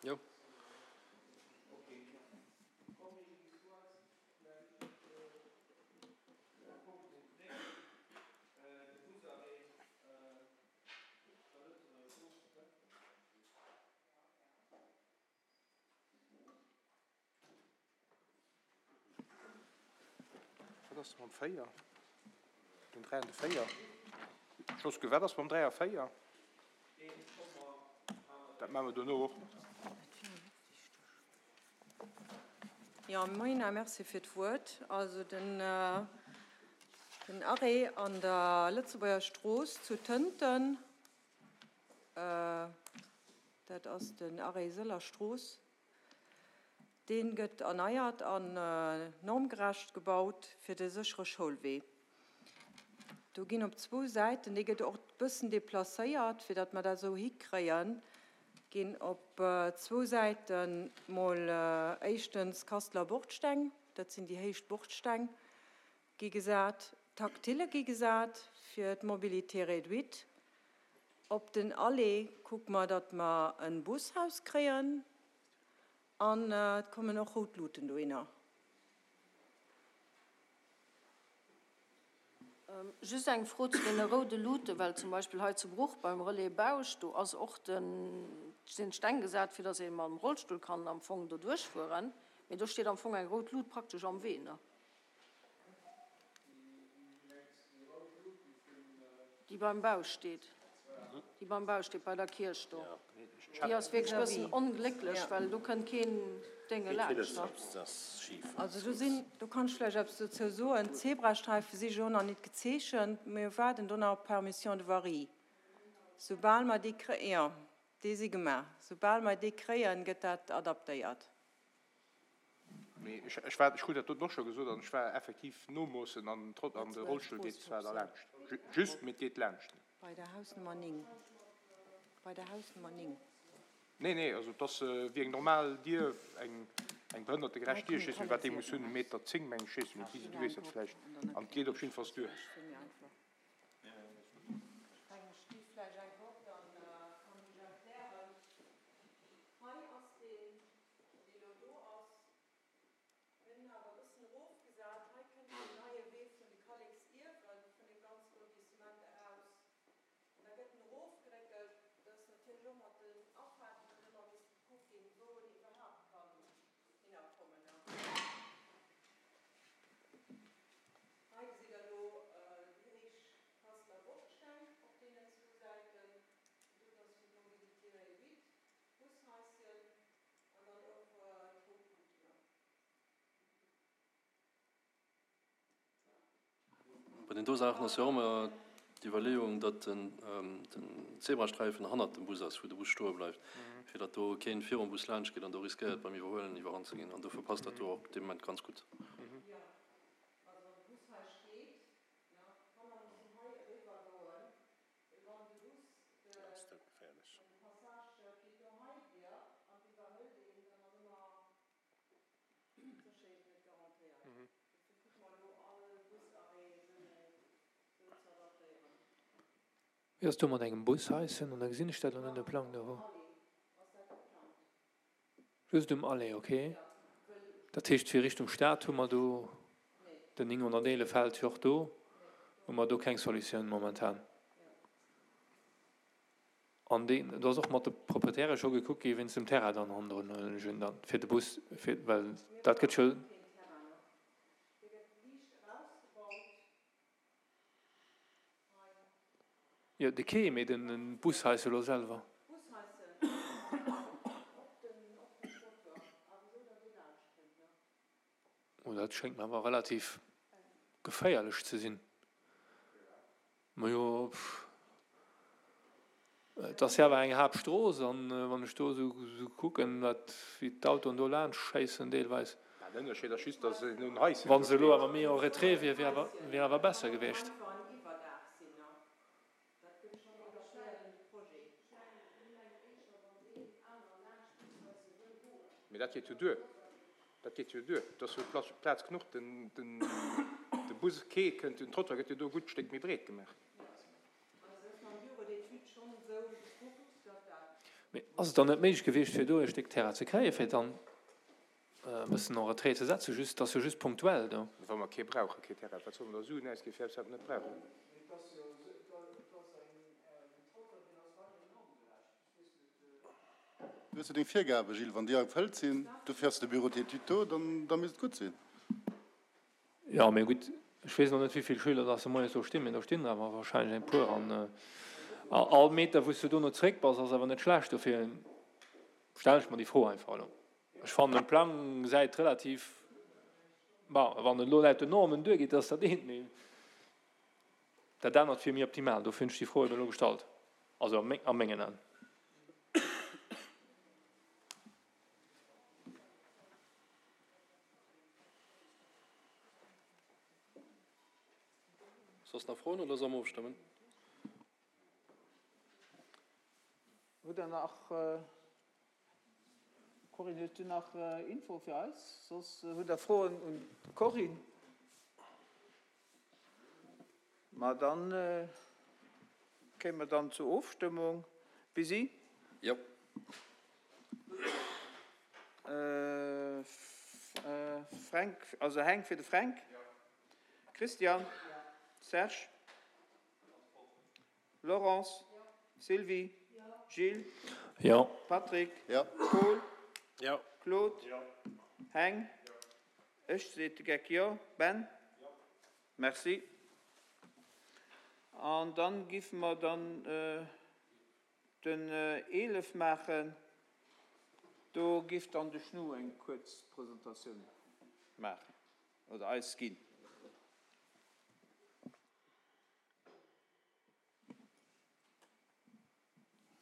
Jo. Wat ass mam 4? Den 3 an de 4? Josque, wat ass mam 3 a 4? Dat maache mer dono och. Jo, moien a merci fir d'Wuert. Also den Arrêt an der Lëtzebuerger Strooss zu Tënten, dat ass den Arrêt Sëller Strooss, Dee gëtt erneiert an normgerecht gebaut fir de séchere Schoulwee. Do ginn op zwou Säiten, dee gëtt och e bëssen deplacéiert, fir datt mer dat esou hikréien, ginn op zwou Säite mol éischtens Kasteler Bordsteng, dat sinn déi héich Bordsteng, gi gesat, Tactile gi gesat fir d'Mobilité réduite. Op den Allée kucke mer, datt mer e Bushaus kréien an et kommen och rout Luuten dohinner. Just eng Fro zu deene roude Luuten, well zum Beispill hei zu Bruch beim Relais Bausch, do ass och de, sinn d'Steng gesat, fir datt ee mam Rollstull kann am Fong do duerchfueren, mee do steet am Fong eng rout Lut praktesch am Wee, ne? Déi beim Bau steet. Déi beim Bau steet, bei der Kierch do. Déi ass wierklech e bëssen onglécklech, well do kënnt keen Dénge laanscht. Also do sinn, do kann ech vläicht eppes dozou soen, d'Zebrasträife si jo nach nit gezeechent. Mir waarden do nach op d'Permission de voirie. Soubal mer déi kréien, jo, déi si gemaach, soubal mer déi kréien, gëtt dat adaptéiert. Mee ech war, ech krut dat doten och scho gesot, an ech war effektiv nomoossen an trot an de Rollstull geet zwar da laanscht, just, mee et geet laanscht. Bei der Hausnummer 9. Bei der Hausnummer 9. Nee, nee, also et ass wéi eng normal Dier, eng eng behënnertegerecht Dier, ech weess net wat déi muss hunn, e Meter 10 meng ech, weess net, Lisi du weess dat vläicht, an et geet op jiddefalls duer. Dee lo do ass. Mir hunn awer e bëssen erofgesat. Hei kënnt deen neie Wee vun de Kalleksliewen vun deem ganze Lotissement eraus. An da gëtt en erofgeréckelt. Dat ass natierlech och mat den Afaarten dann ëmmer misst gekuckt ginn, wou en iwwerhaapt kann hinnerkommen. Hei gesitt Der elo déi héich Kasteler Bordsteng op deenen zwou Säiten. Déi doten ass fir d'Mobilité réduite. Bushaischen an dann och d'Rout Luuten. Bei den do Saachen ass jo och ëmmer d'Iwwerleeung, datt den Zebrasträifen hannert dem Bus ass, wou de Bus stoe bleift, fir datt do keen virum Bus laanscht geet an do riskéiert beim Iwwerhuelen iwwerrannt ze ginn. An dofir passt dat do och dee Moment ganz gutt. Jo, also wann de Bus hei steet, d'Kanner mussen hei eriwwer goen, Wéi ass do mat engem Bushaischen? An da gesinn ech dat elo net um Plang do. Just um Aller, ok. Dat heescht fir Richtung Stad hu mer do den 911 fält jo och do, hu mer do keng Solutioun momentan. An deen, do ass och mat de Proprietäre scho gekuckt gi wéinst dem Terrain dann hannendrun, huelen ech un dann, fir de Bus, fir, well dat gëtt jo. Jo, de Quai, mee den Bushaisse elo selwer. Oh, dat schéngt mer awer relativ geféierlech ze sinn. Majo, et ass jo awer eng Haaptstrooss an wann ech do esou kucken, wat, wéi d'Autoen do laanscht schéissen deelweis. Den Ënnerscheed ass just, dass en un Haisschen Wann se elo awer méi en retrait wier, wier awer, wier awer besser gewiescht. Mee dat geet jo duer. Dat geet jo duer. Et ass jo Plaz genuch. Den, den, de Busquai kënnt, den Trottoir gëtt jo do e gutt Stéck méi breet gemaach. Mee ass et dann net méiglech gewiescht, fir do e Stéck Terrain ze kréien, fir dann e bëssen en retrait ze setzen? Just, et ass jo just punktuell do. Wa mer kee brauchen, kee Terrain, wat solle mer da Suen ausginn, fir eppes, wat mer net brauchen? Du hues jo deng Virgabe, Gilles, wann déi erfëllt sinn, dofir ass de Bureau d'études do, dann da misst et gutt sinn. Jo, mee gutt, ech weess elo net, wéi vill Schüler dass de moies do stinn, mee do stinn der awer wahrscheinlech eng puer. An all Meter, wou s du dono zeréck bass, ass awer net schlecht. Dofir stellen ech mer déi Fro einfach elo. Ech fannen, de Plang gesäit relativ, bon, wann en elo laut den Normen duergeet, ass dat eent, mee dat anert wier méi optimal. Dofir hunn ech déi Fro eben elo gestallt, also a mengen Aen. Soss nach Froen oder solle mer ofstëmmen? Hutt Der nach, Corinne, hues du nach Info fir eis? Soss hutt Der Froen un d'Corinne? Ma dann kéime mer dann zur Ofstëmmung. Busy? Jo. Fränk, also Heng fir de Fränk. Christian? Serge? Laurence? Sylvie? Gilles? Jo. Patrick? Jo. Paul? Jo. Claude? Heng? Ech, seet de Geck, jo. Ben? Merci. An dann giffe mer dann den 11 maachen. Do giff dann de Schnu eng kuerz Presentatioun maachen oder eis ginn.